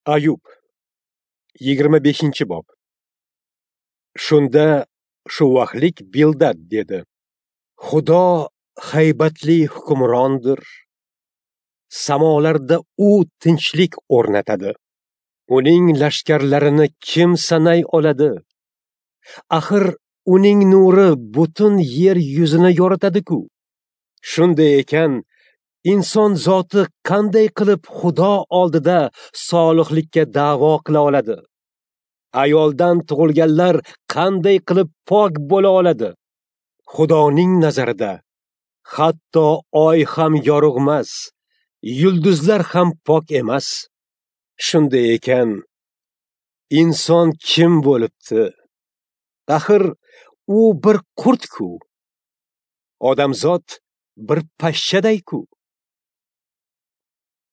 Ayub 25-bob. Shunda Shuvahlik Bildad dedi: Xudo haybatli hukmrondir. Samolarda u tinchlik o'rnatadi. Uning lashkarlarini kim sanay oladi? Axir uning nuri butun yer yuzini yoritadi-ku. Shunday ekan, inson zoti qanday qilib Xudo oldida solihlikka da'vo qila oladi? Ayoldan tug'ilganlar qanday qilib pok bo'la oladi? Xudoning nazarida hatto oy ham yorug'mas, yulduzlar ham pok emas. Shunday ekan, inson kim bo'libdi? Axir u bir qurt-ku. Odamzod bir pashshaday-ku.